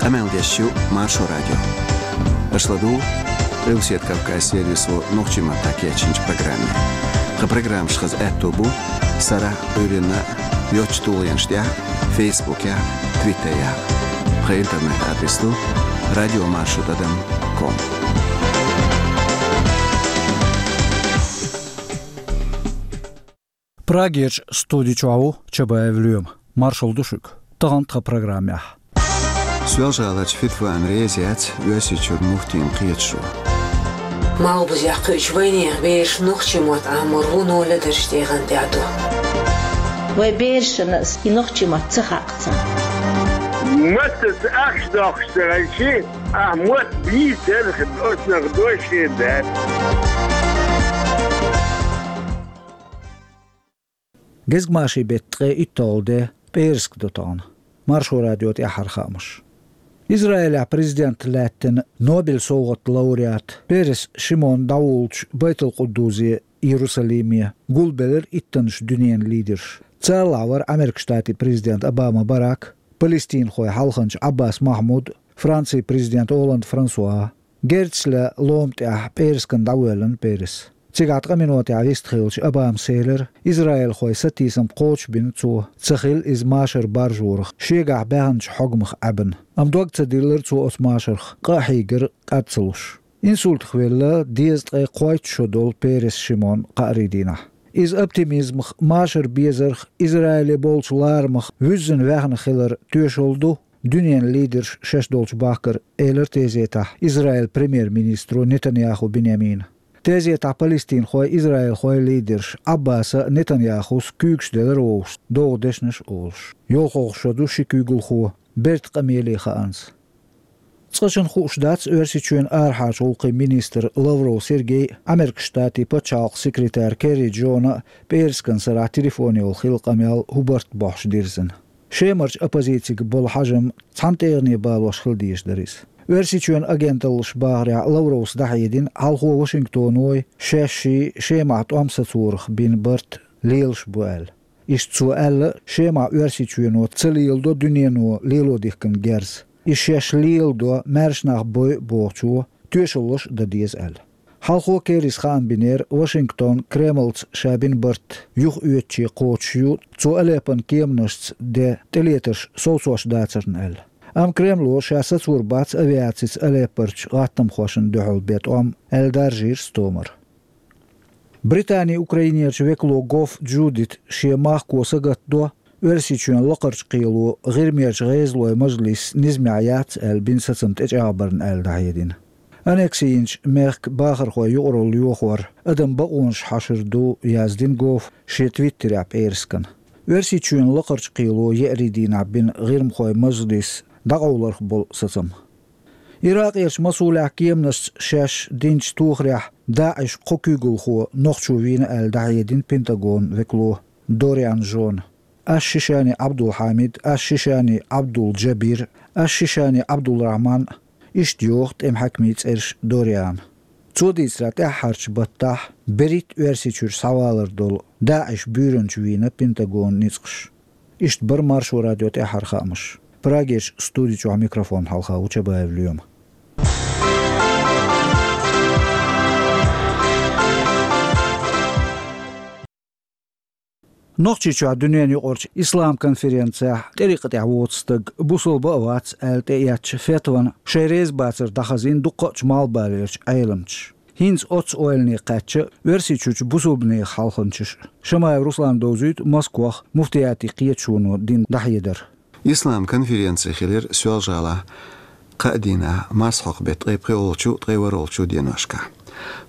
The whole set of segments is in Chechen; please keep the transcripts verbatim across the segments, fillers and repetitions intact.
Къамел деш ю Маршо радио. Аша ладугӀу Къилбаседа Кавказан сервисо нохчийн маттахь кечйинчу программе. Тхан программаш хаза аьтто бу сарахь а, Ӏуьйранна а йоцчу тулгӀенаш тӀехь а, Фейсбукехь а, Твиттерехь а. Тхан интернет-адрес ду радиомаршо тӀадам ком. Прагерчу студи чохь ву Чабаев Лоьма. Маршалла ду шуьга. Тахана тхан программехь. Соьлжа-ГӀаларчу Фитвана реза яц Оьрсийчуьра муфтийн кхеташо. Малхбузехь кхуьучу вайнехан бераш нохчийн мотт Ӏамор вуно ледара тӀегӀан тӀехь ду. Вайн берашна ас и нохчийн мотт ца хаьа царна. Маттаца ахча доккхуш ца хилча, ахь мотт бийцарх оцунах дош хир дац. Гезгмашин беттан ткъе итталгӀа де, пӀераска до тахана. Маршо радион тӀаьххьара хаамаш. Израилехь президент лаьттина Нобель совгӀатан лауреат Перес Шимон дӀавуллучу Байтул-Къуддусе, Иерусалиме, гулбелира иттаннаш дуьненан лидерш. Царалахь вара Американ Штатийн президент Обама Барак, палестинхойн хьалханча Ӏаббас Махьмуд, Францин президент Олланд Франсуа. Герзаца лома тӀехь пӀераскана дӀавоьллина Перес. Цигахь ткъа минотехь вист хилча, Обамас элира, израилхойн сатийсам кхочушбина цо, ца хилла иза машар баржорах, шегахь баьхначу хьогамах Ӏаьбна. Амма дог ца диллира цо оцу машарх, къа а хьийгира, кӀад ца луш. Инсультах велла дезткъе кхойтта шо долу Перес Шимон кхаарин дийнахь. Иза оптимизмах, машар безарх, Израиле болчу ларамах вуьззина ваьхна хилар тоьшалла ду дуьненан лидерш шаьш долчу бахкара, элира тезетахь Израилан премьер-министро Нетаньяху Биньямина. Тезетахь палестинхойн, израилхойн лидерш Ӏаббаса а, Нетаньяхус а куьйгаш делира вовшашна, догӀу дешнаш а олуш. ЙолхалгӀа шо ду ши куьйгалхо бертан къамеле хаанза. Цкъачунна хууш дац Оьрсийчоьнан арахьарчу гӀуллакхийн министр Лавров Сергей а, Американ Штатийн пачхьалкхан секретарь Керри Джона а пӀераскан сарахь телефонехула хилла къамел хӀун барт бохьуш дирзина. Шемарчу оппозицига болу хьажам цхьана тӀегӀане балош хила дезаш дара иза. Оьрсийчоьнан агенталлаша бахарехь, Лавровс дӀахьедина, хьалхо Вашингтоной, шаьшший Шемахь тӀом сацорах бина барт лелаш бу аьлла. Иштта цо аьлла, Шемахь Оьрсийчоьно ца леладо дуьнено лело дихкина герз. И шаьш леладо, маьрша нах бойу бохучо тоьшаллаш а дан деза аьлла. Хьалхо Керрис хаам бинера, Вашингтон Кремлца ша бина барт юхаоьцуче кхочуш ю цо Алеппон кеманашца ден тӀелетарш совцош дацарна аьлла. Амма Кремло ша сацор бац авиацица Алеппорчу гӀаттамхошна дуьхьал бен тӀом аьлла даржийра стомара. Британин Украинерчу векало Гофф Джудит шен махко сагатдо, Оьрсийчоьнан Лакхарчу кхело ГӀирмерчу ГӀезалойн мажлис низамехь яц аьлла бина сацам тӀечӀагӀбарна аьлла дӀахьедина. Аннекси йинчу мехкан бахархойн юкъаралла йохор адамийн бакъонаш хьашар ду, яздина Гоффа шен твиттерехь пӀераскана. Оьрсийчоьнан Лакхарчу кхело еарин дийнахь бина ГӀирмахойн мажлис дӀакъовларх болу сацам. Иракъерчу Масулехь кеманашца шаьш динчу тохарехь ДаӀишан кхо куьйгалхо нохчо вийна аьлла дӀахьедина Пентагонан векало Дориан Жона. Аш-Шишани Абдул-Хьамид, Аш-Шишани Абдул-Джабир, Аш-Шишани Абдул-Рахьман, иштта йоху тӀеман хьаькамийн цӀераш Дориана. Цо дийцарехь, тӀаьххьарчу баттахь берхӀитта Оьрсийчуьра схьавалар долу ДаӀишан буьйранча вийна Пентагонан ницкъаша. Иштта бара Маршо радион тӀаьххьара хаамаш. Прагерчу студи чохь микрофон хьалха ву Чабаев Лоьма. Нохчийчохь дуьненан юкъарчу ислам конференцехь тӀарикъатехь воцу стаг бусалба а вац аьлла тӀеэцначу фетвана шайн реза бацар дӀахазийна дуккха а чу малхбалерчу Ӏеламчаша. ХӀинца оццу ойлане кхаьчна Оьрсийчуьрчу бусалбанийн хьалханчаш. Шамаев Руслана довзуьйту Москвахь муфтиятийн кхеташоно дина дӀахьедар. Ислам конференци хилира Соьлжа-ГӀалахь кхаа дийнахь, марсхьокху беттан ткъе пхоьалгӀачу, ткъе ворхӀалгӀачу деношкахь.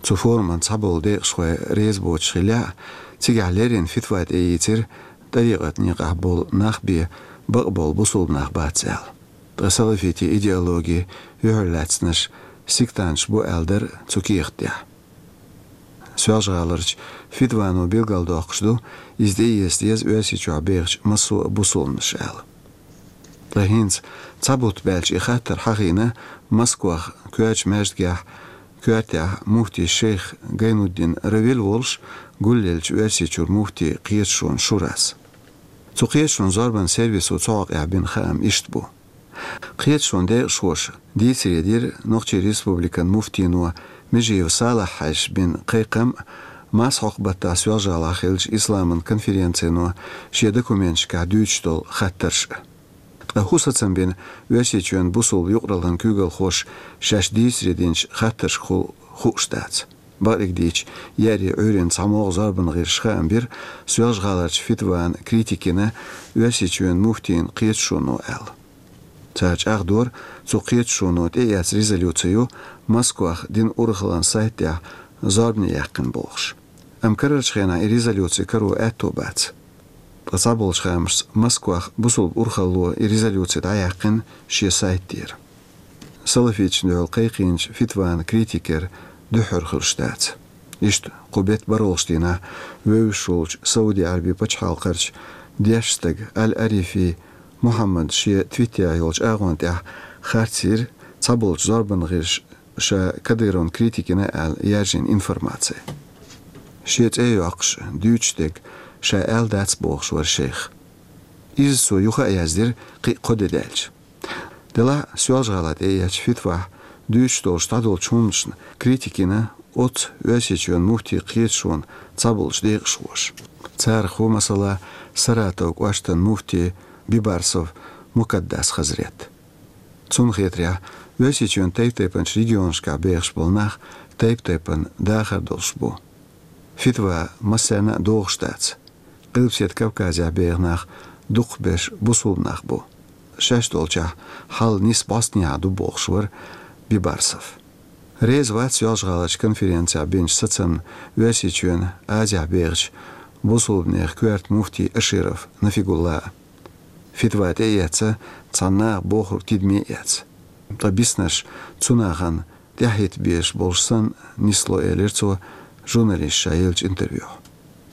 Цу форуман цхьаболу декъашхой реза боцуш хиллехь а, цигахь леррина фитва тӀеийцира, тӀарикъатан некъахь болу нах бен бакъболу бусалба нах бац аьлла. Ткъа салафитийн идеологи юьхьарлаьцнарш сектанташ бу аьлла дара цу кехат тӀехь. Соьлжа-ГӀаларчу фитвано билгалдоккхуш ду, иза тӀеэца деза Оьрсийчохь бехачу массо а бусалбанаша аьлла. Ткъа хӀинца цхьа бутт баьлча и хаттар хьахийна Москвахь коьртачу маьждигехь, коьртехь муфти шейх Гайнуддин Равил волуш гулъеллачу Оьрсийчуьра муфтийн кхеташонан шурас. Цу кхеташонан зорбанан сервисо цу хьокъехь бина хаам иштта бу. Кхеташонан декъашхоша дийцаре дира Нохчийн Республикан муфтийно Межиев Салахь-Хьаьжас бина кхайкхам а, Масхьокха-Баттахь Соьлжа-ГӀалахь хиллачу исламан конференцино шен документашкахь дуьйцуш долу хаттарш а. Ткъа хӀун сацам бина Оьрсийчоьнан бусулба юкъараллин куьйгалхоша шаьш дийцаре динчу хаттаршкахула хууш дац. Бакъдерг дийцича, еарин Ӏуьйранна цхьамогӀа зорбанан гӀирсаша хаам бира Соьлжа-ГӀаларчу фитван критика йина Оьрсийчоьнан муфтийн кхеташоно аьлла. Цара чӀагӀдора, цу кхеташоно тӀеэцна резолюци ю Москвахь динан урхаллин сайт тӀехь зорбане яьккхина бохуш. Амма карарчу хенахь и резолюци каро аьтто бац. Ткъа цхьаболчу хаамашца Москвахь бусулба урхалло и резолюци дӀаяьккхина шен сайт тӀера. Салафиташна дуьхьал кхайкхийначу фитван критикера дуьххьара хуьлуш дац. Иштта кху беттан бархӀалгӀачу дийнахь вевзаш волчу Сауди-Ӏаьрбийн пачхьалкхерчу дешна стага Аль-Арифи Мухьаммада шен твиттерехь йолчу агӀон тӀехь харц йира цхьаболчу зорбанан гӀирсаша Кадыровн критика йина аьлла яьржина информаци. Шен цӀе а йоккхуш, дуьйцуш дерг ша аьлла дац бохуш вара шайх. Иза цо юха а яздира кхин а кхо де даьлча. Делахь а Соьлжа-ГӀалахь тӀеэцначу фитвахь дуьйцуш долуш дӀадолчу хӀуманашна критика йина оццу Оьрсийчоьнан муфтийн кхеташонан цхьаболчу декъашхоша. Царах ву, масала, Саратов кӀоштан муфти Бибарсов Мукаддас Хазрет. Цунна хетарехь, Оьрсийчоьнан тайп-тайпанчу регионашкахь бехаш болу нах тайп-тайпана дахар долуш бу. Фитва массарна а догӀуш дац. Къилбаседа Кавказехь беха нах дукхахберш бусулба нах бу. Шаьш долчохь хьал нийса бӀостанехьа ду бохуш вара Бибарсов. Реза вац Соьлжа-ГӀаларчу конференцехь бинчу сацамна Оьрсийчоьнан Азехь бехачу бусулбанех коьрта муфти Аширов Нафигулла а. Фитва тӀеэцна цхьана наха бохург тидаме а эцна. Ткъа биснарш цу нахана тӀаьхьахӀитта безаш болуш санна нисло, элира цо журналисташна еллачу интервьюхь.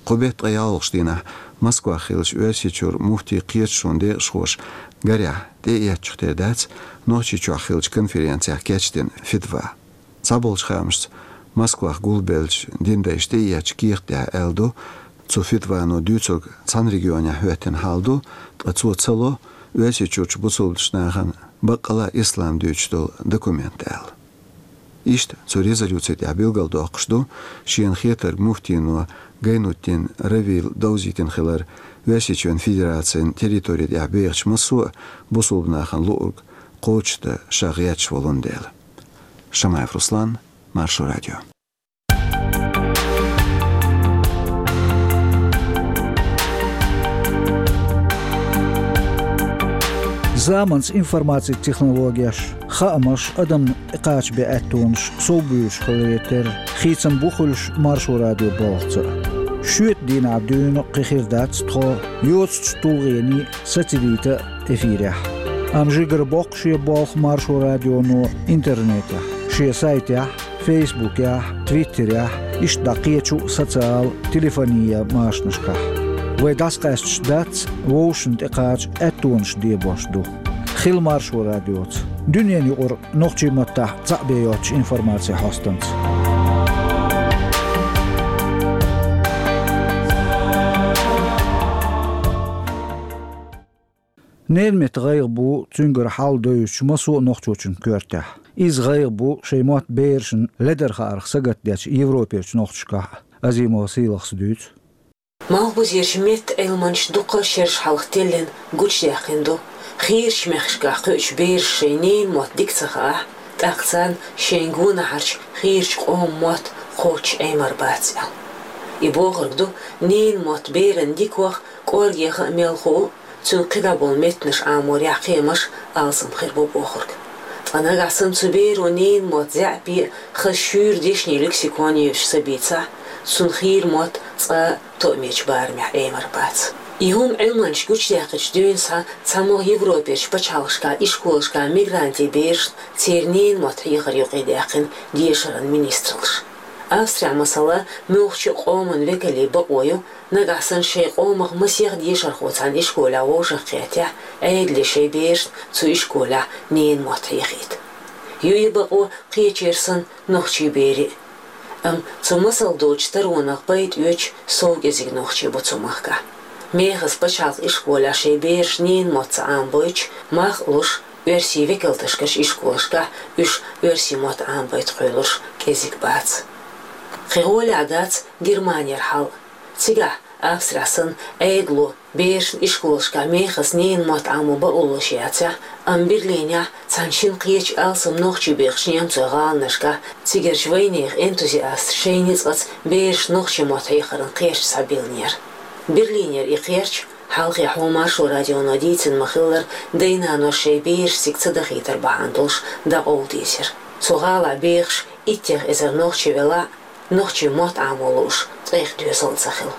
Кху беттан ткъе ялхалгӀачу дийнахь Москвахь хиллачу Оьрсийчуьра муфтийн кхеташонан декъашхоша, гарехь, тӀеэцначух тера дац Нохчийчохь хиллачу конференцехь кечдина фитва. Цхьаболчу хаамашца, Москвахь гулбеллачу динан дайша тӀеэцначу кехатехь аьлла ду, цу фитвано дуьйцург цхьана регионехь хӀоьттина хьал ду, ткъа цо ца ло Оьрсийчуьрчу бусулбачу нахана баккъала ислам дуьйцуш долу документ аьлла. Иштта цу резолюци тӀехь билгалдоккхуш ду шена хетарг муфтийно Гайнутдин Равийла довзийтина хилар Оьрсийчоьнан Федерацин территори тӀехь бехачу массо а бусулба нахана луург кхочушдан ша гӀерташ волун дела. Шамаев Руслан, Маршо радио. Заманца информацин технологеш, хаамаш, адамна тӀекхача бен аьттонаш совбуьйлуш хиларе терра, хийцам бу хуьлуш Маршо радион балхаца а. Шоьтан дийнахь дуьйна кхин хир дац тхо йоцучу тулгӀенийн сацийта а эфирехь. Амма жигара боккхуш я болх Маршо радионо интернетехь, шен сайтехь, фейсбукехь, твиттерехь, иштта дӀа кхечу а социал, телефонийн машанашкахь. Вай дӀасакъаьсташ дац, вовшашна тӀекхача аьттонаш дебош ду. Хила Маршо радиоца. Дуьненан юкъара нохчийн маттахь цхьаъ бен йоцучу информацин хьостанца. Ненан меттан гӀайгӀа бу цуьнгара хьал девзачу массо а нохчочун коьртехь. Иза гӀайгӀа бу шайн мотт берашна ледара хаарх сагатдечу Европерчу нохчашкахь а, Азимова Сийлахьас дуьйцу. Малхбузерчу меттан Ӏилманчаша дуккха а шераш хьалха теллина гучудаьккхина ду хийрачу мехкашкахь кхуьучу бераша шайн ненан мотт дика ца хаахь, тӀаккха царна шайна гонахьарчу хийрачу къоман мотт кхоччуш Ӏемар бац аьлла. И бохург ду, ненан мотт берана дика ваха, кӀоргеха а мел хуу, цуьнан кхидӀа болу меттанаш Ӏаморехь кхиамаш алсам хир бу бохург. Ткъа нагахь санна цу беро ненан мотт заьӀапе а, хаза шуьйра дешнийн лексикон а йолуш ца бийцахь, цунна хийра мотт цкъа а тоъамечу барамехь Ӏемар бац. И хӀума Ӏилманчаша гучудаьккхича дуьйна схьа цхьамогӀа Европерчу пачхьалкхашкахь ишколашкахь мигрантийн берашна церан ненан мотт хьехаран юкъе даьккхина дешаран министраллаша. Австрехь, масала, муьлххачу а къоман векалийн бакъо ю, нагахь санна шайн къомах масех дешархо цхьана ишколехь вовшахкхетахь, Ӏедале шайн берашна цу ишколехь ненан мотт хьехийта. Ю и бакъо кхечеран санна нохчийн берийн а. Амма цу масал доцучу таронах пайда оьцуш сов кӀезиг нохчий бу цу махкахь. Мехаза пачхьалкхан ишколехь шайн бераш ненан мотт ца Ӏамабойтуш, мах а луш, Оьрсийн векалташкарчу ишколашкахь уьш оьрсийн мотт Ӏамабайта кхоьлурш кӀезиг бац. Кхин гӀолехь дац Германера хьал. Цигахь, Австрехь санна, Ӏедало берашна ишколашкахь мехаза ненан мотт Ӏамо бакъо луш яцахь, амма Берлинехь цхьана шина кхечу алсам нохчий бехачу немцойн гӀаланашкахь цигарчу вайнехан энтузиасташа шайн ницкъаца берашна нохчийн мотт хьехаран кхерч схьабиллинера. Берлинера и кхерч, хьалхе хьо Маршо радионо дийцина ма-хиллара, дай-наноша шайн бераш цига ца дахийтар бахьана долуш, дӀакъовла дийзира. Цу гӀалахь бехаш иттех эзар нохчи велахь а, нохчийн мотт Ӏамо лууш ткъех доьзал а ца хилла.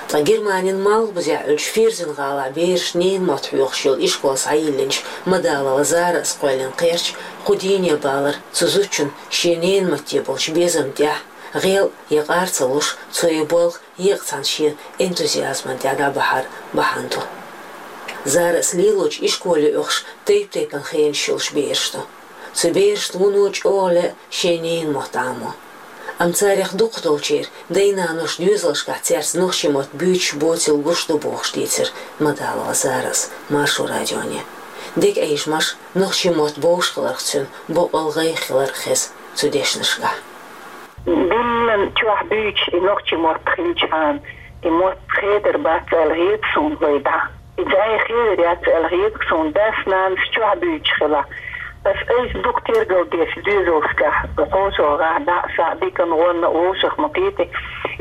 Ткъа Германин малхбузехь Ӏуьллучу Ферзен-гӀалахь бераш ненан мотт хьоьхуш йолу ишкол схьайиллинчу Мадалова Зарас кхоьллина кхерч кху дийне балар цу зудчун шен ненан матте болчу безам тӀехь, гӀел я къар ца луш, цо и болх еккъа цхьана шен энтузиазман тӀехь дӀабахьар бахьана ду. Зарас лелочу ишколе оьхуш тайп-тайпана хенаш йолуш бераш ду. Цу берашна вуно чӀогӀа лаьа шен ненан мотт Ӏамо. Амма царех дукхахдолчеран дай-наноша доьзалшкахь цаьрца нохчийн мотт буьйцуш боцийла гуш ду бохуш дийцира Мадалова Зарас Маршо радионе. Дегайижмаш нохчийн мотт бовш хиларх цуьнан боккъал гӀайгӀа хилар хеза цу дешнашкахь. Диллина чохь буьйцуш и нохчийн мотт хилчхьана, и мотт хедар бац аьлла хета суна вай дӀа. И дӀай хедар яц аьлла хета суна, дас-нанас чохь буьйцуш хилахь. Ас айса дукха тергал деш доьзалшкахь, кхочугӀахь дӀа а, схьа а, диканна, гӀонна а вовшах ма кхета,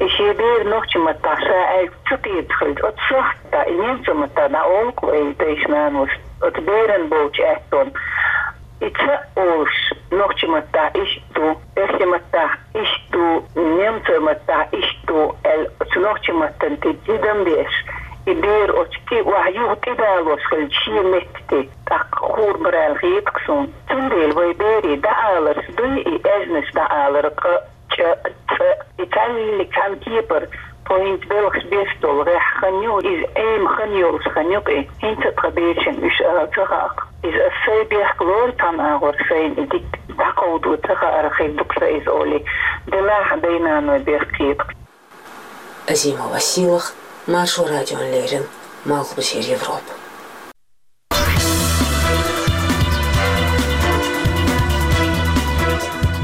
и шен бер нохчийн маттахь ша аьлча ца кхета хилча, оцу сохьта и немцойн маттахь дӀаолу-кх вайн дайша-наноша оцу беран болчу аьттонна. И ца а олуш, нохчийн маттахь иштта ду, оьрсийн маттахь иштта ду, немцойн маттахь иштта ду аьлла, оцу нохчийн маттана тӀе тидам беш, и бер оцу кӀиъ охьа юха тӀедалош хилча шен метта тӀе, тӀаккха хуур бара аьлла хета-кх суна. Цундела вай берийн дӀааларш дуй и аьзнаш дӀаалар къа, чӀа, цӀа, и цхьаьллиг цхьана кепара, тхо хӀинца белхаш беш долу гӀеххьа хан ю, иза Ӏема хан йолуш хан ю-кх и, хӀинца а тхан берашна уьш ала ца хаьа-кх. Иза ас сайн бехк лору цхьана агӀор, сайна и дика дӀакховдо ца хаарх хир ду-кх сан иза олий, делахь а дай-наной бехк хета-кх. Азимова Силах, Маршо радиона леррина, Малхбузера Европа.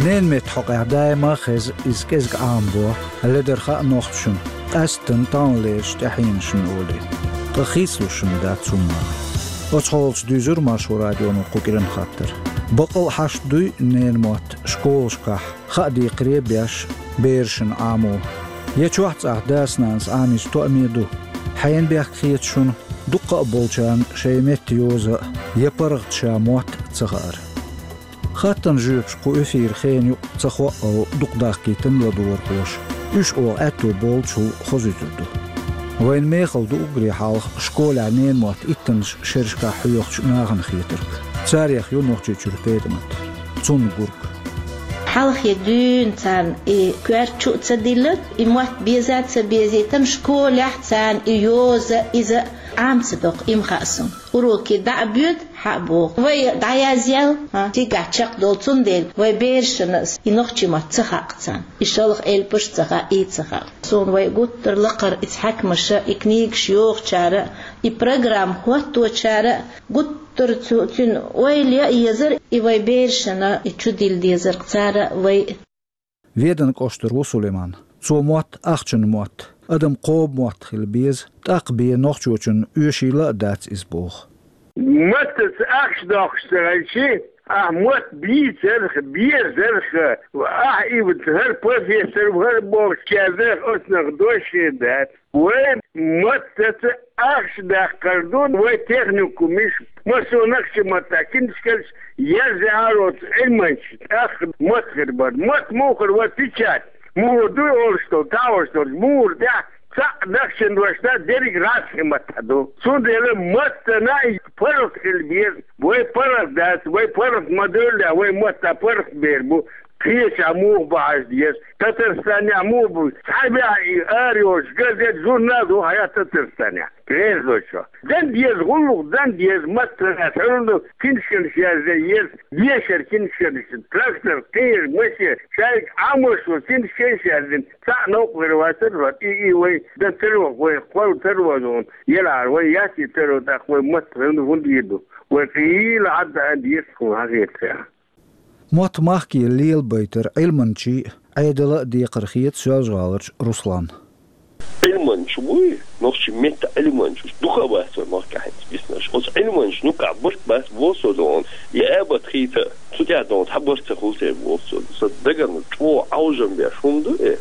Ненан меттан хьокъехь даима а хеза иза кӀезиг Ӏамабо, ледара хаьа нохчашна, къаьсттина таханлерчу тӀаьхьенашна олий. Ткъа хийцалуш дац хӀумма. Оцу хьолаца дуьйзура Маршо радионо кху кӀиран хаттар. Бакъ а хьашт дуй ненан мотт школашкахь, хаа декхаре а беш, берашна Ӏамо. Я чохь цӀахь дас-нанас Ӏамийча тоъаме ду. Хьенан бехк хета шуна, дуккха а болчарна шайн меттан йоза а, я паргӀат ша мотт а ца хаар? Хаттарна жоьпаш кху эфиран хенан юкъа ца хоуьйтуш дукха даккхийтина ладогӀархоша. Уьш оха аьтто болчул хозуьйтур ду. Вайна мехала ду уггаре хьалха школехь ненан мотт иттаннаш шерашкахь хьоьхучу нахана хетарг. Царех ю Нохчийчуьра ПетӀамат. Цунна гург. Хьалхе дуьйна царна и коьрта чу а ца диллина, и мотт беза а ца безийтина, школехь царна и йоза, иза Ӏама ца доккху, и ма хаьа суна. Уроке дӀа а боьду, хьа а боху. Вай дӀаязъял, хьа, цигахь чекхдолу, цундела вай берашна и нохчийн мотт ца хаьа-кх царна. И шалха элпаш а ца хаьа, и ца хаьа. Суна вай гуттар а лакхара иза хьаькамаша, и книгаш йохучара, и программа хӀотточара гуттар а цу, цуьнан ойла яа езара, и вай берашна и чу дилла дезар-кх цара вай. Веданан кӀоштара ву Сулайман. Цо мотт ахчанан мотт, адаман кхобу мотт хила беза, тӀаккха бен нохчочунна оьшийла а дац иза боху. Маттаца ахча доккхуш ца хилча, ахь мотт бийцарх, безарх, ахь и ву, хӀара профессор ву, хӀара бохуш кхаьрдарх оцунах дош хир дац. Вай маттаца ахча даккхар ду, вай техникумаш, массо а нохчийн маттахь книжкаш язъян ароцу Ӏилманчаш тӀаккха мотт хир бара. Мотт муха хир вара, печать? Муха ду олуш долу, тахьош долуш, муха тӀехь цхьаъ нохчийн дош дац, дерриг гӀазкхийн маттахь ду. Цундела маттана и паргӀат хила беза, вай паргӀат дац, вай паргӀат ма девлла, вай маттахь паргӀат бер бу. Кхечахь муха бу хьажа деза? Татарстанехь муха бу? Цхьа бехьа и ара йолчу газет, журнал ду хьан Татарстанехь? Резочо. Дан деза, гӀуллакх дан деза, маттана хӀара ду, книжкаш язъян еза, дешар книжкаш, трактор, кхин машен, шайга Ӏамош ву, книжкаш язъян, цхьаъ новкъа хир вацара, и, и вай дан тарло, вай кхолла тарло ду, елахьара вай яц и тарло, тӀаккха вай матта хӀунда, хӀунда йир ду? Вай цӀийла Ӏадда а деза тхуна хьахетарехь. Мотт махке лелабайтар Ӏилманчийн а, Ӏедалан а декхар хета Соьлжа-ГӀаларчу Русланна. Ӏилманчаш буй, нохчийн меттан Ӏилманчаш, дукха а бац вай махкахь хӀинца биснарш. Оцу Ӏилманчашна юккъехь барт бац, боху со, догӀу. Я абат хийта, цу тӀехь, догӀу, цхьа барт ца хуьлу те, боху со. Сан дагана чӀогӀа Ӏовжам беш хӀума ду и.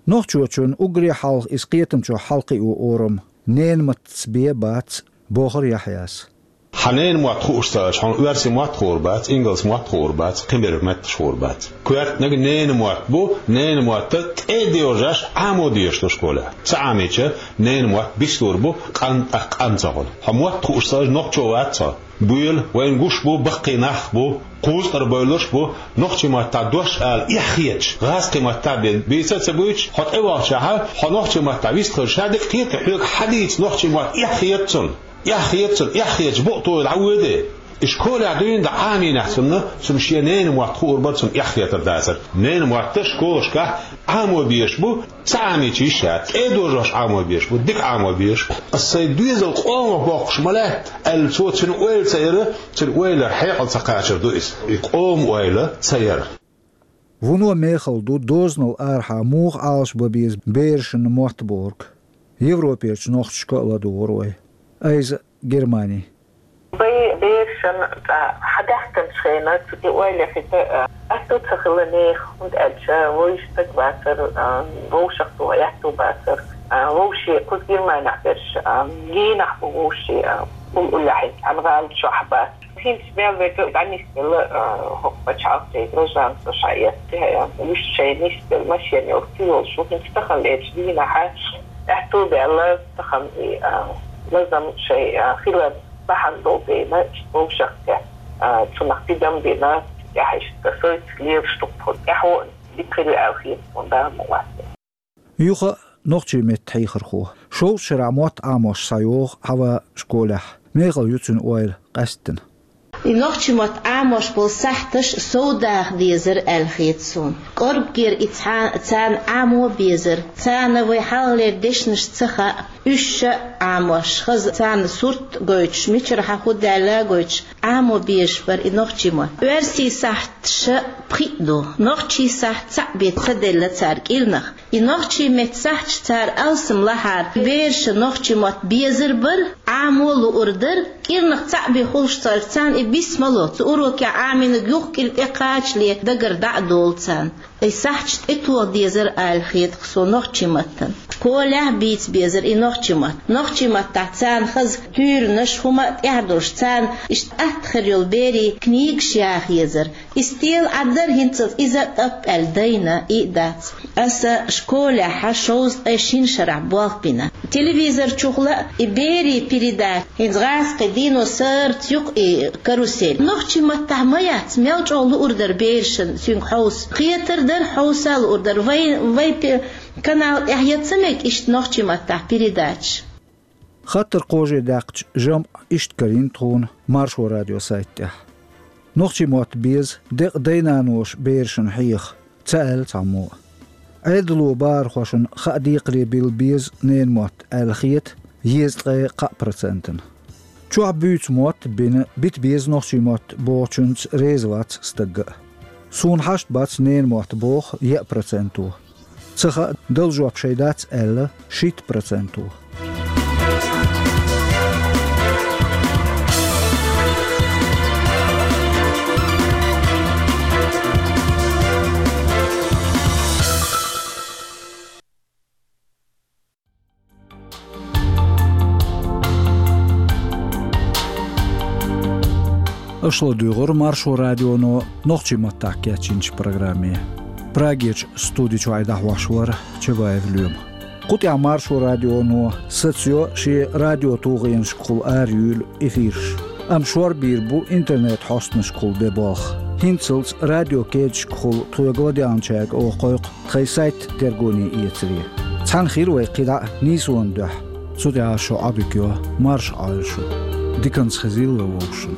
Нохчочунна уггаре хьалха иза кхетам чохь хьалакхио орам ненан маттаца бен бац, бохура Яхьъяс. Хьан ненан мотт хууш ца Ӏаш, хьуна оьрсийн мотт хуур бац, ингалс мотт хуур бац, кхин берг метташ хуур бац. Коьртаниг ненан мотт бу, ненан мотт тӀе а доьжуш, Ӏамо дезаш ду школехь. Ца Ӏамийча, ненан мотт бицлур бу, къан тӀаккха къан ца хуьлу. Хьо мотт хууш ца Ӏаш, нохчо вац хьо. Буьйла, вайна гуш бу, баккхий нах бу, кхузткъара бевлларш бу, нохчийн маттахь дош ала эхь хеташ, гӀазкхийн маттахь бен бийца а ца буьйцуш, хьо тӀевахчахьа, хьо нохчийн маттахь вистхуьлуш, ша дика кхета, хьоьга хьадийца нохчийн мотт эхь хета цунна. Эхь хета цунна, эхь хеташ, букъ тойла дӀавоьде. И школехь дуьйна дан Ӏамийнехь цунна, цунна шен ненан мотт хуур бара, цунна эхь хетар дацара. Ненан мотт школашкахь Ӏамо безаш бу, ца Ӏамийча йиш яц, тӀе а доьжуш Ӏамо безаш бу, дика Ӏамо безаш. Ас сайн доьзал къомах боккхуш ма лаьтта, аьлла, цо цуьнан ойла ца яра, цуьнан ойла хьекъал ца кхачар ду иза. И къоман ойла ца яра. Вуно мехала ду дозанал арахьа муха Ӏалашбан беза берашна мотт бохург. Европерчу нохчашка а ладугӀура вай. Айза, Германи. Вай берашна цкъа хьадаьхкинчу хенахь цу тӀе ойла хита, а, аьтту ца хилла нехан, хӀунда аьлча вовшах стаг бацара, а, вовшах тоха аьтту бацара, а, вовшийн кхуза Германехь берш, а, генахь бу вовшийн, а, уллехь, цхьана гӀала чохь бац. ХӀинца мел верг а дӀанисделла, а, хӀокху пачхьалкхе гражданство шаьш эцна, а, уьш шайн нисделла машен йолу ца йолуш ву, хӀинца тахана лерчу дийнахь аьтту баьлла, тахана и, а, лазам шайн, а, хилар бахьана долу дела, иштта вовшахтехь, а, цунах тидам бина, тӀаьхьа иштта сойца лелаш ду-кх тхо, тӀаьхьо дика хир ю аьлла хета тхуна, Дала ма-вац. Юха а нохчийн меттан хьехархо. Шовзткъа шарахь мотт Ӏамош схьайогӀу Хьава школехь. Мехала ю цуьнан ойла къаьсттина. И нохчийн мотт Ӏамош болу сахьташ совдаха дезара аьлла хета суна. КӀорггера и цхьа-, царна Ӏамо безара. Царна вай хьалхалера дешнаш ца хаьа, уьш а Ӏамош, хаза царна сурт гойтуш, мичара хьан хӀун даьлла а гойтуш, Ӏамо безаш бара и нохчийн мотт. Оьрсийн сахьташ пхиъ ду, нохчийн сахьт цхьаъ бен ца делла цара кӀирнах. И нохчийн меттан сахьташ цара алсам лахьара, бераша нохчийн мотт безар бара, Ӏамо луур дара, кӀирнах цхьаъ бен хуьлуш ца Ӏаш, царна и бисмало, цу урокехь Ӏамийнарг юха кӀира тӀекхачале дагара дӀа а долу царна. И сахьташ тӀетоха дезара аьлла хета-кх суна нохчийн маттана. Школехь бийца безара и нохчийн мотт. Нохчийн маттахь царна хаза туьйранаш, хӀума а тӀехь долуш, царна иштта атта хир йолу берийн книгаш яха езара. И стел Ӏаддара хӀинцалц иза а тӀап аьлла дайна, и а дац. Аса школехь шовзткъе шина шарахь болх бина. Телевизор чухула а и берийн передача, хӀинца гӀазкхи дийно сарц юкъа и карусель. Нохчийн маттахь ма яц, мел чӀогӀа луур дара берашна цуьнга хьовса. Кхетар дара, хьовса а луур дара. Вай, вай пе-, канал тӀехь яц ца мега иштта нохчийн маттахь передача. Хаттар кхаже даьккхича, жамӀ иштта карийна тхуна Маршо радион сайта тӀехь. Нохчийн мотт беза декъа дай-наноша берашна хьеха, ца аьлла цхьаммо а. Ӏедало бахархошна хаа декхаре билла беза ненан мотт аьлла хета езткъе кхаа процентана. Чохь буьйцу мотт бина, бита беза нохчийн мотт бохучуьнца реза вац стаг а. Суна хьашт бац ненан мотт боху еа проценто. Ца хаьа, дала жоп шайн дац аьлла шийтта проценто. Аша ладуьйгӀура Маршо радионо нохчийн маттахь кечйинчу программе. Прагерчу студи чуьра дӀахьош вара Чабаев Лоьма. Кху тӀехь Маршо радионо сацайо шен радиотулгӀенашкахула араюьйлу эфирш. Амма шорбийр бу интернет-хьостанашкахула бен болх. ХӀинцалц радиокечашкахула тхоьга ладегӀначаьрга оха кхойкху тхайн сайт тергоне эцаре. Цхьаьна хир вай кхидӀа а нийсонан дуьхьа. Цу тӀехь шун Ӏодика йо, марша Ӏойла шу. Диканца хезийла вай вовшашна.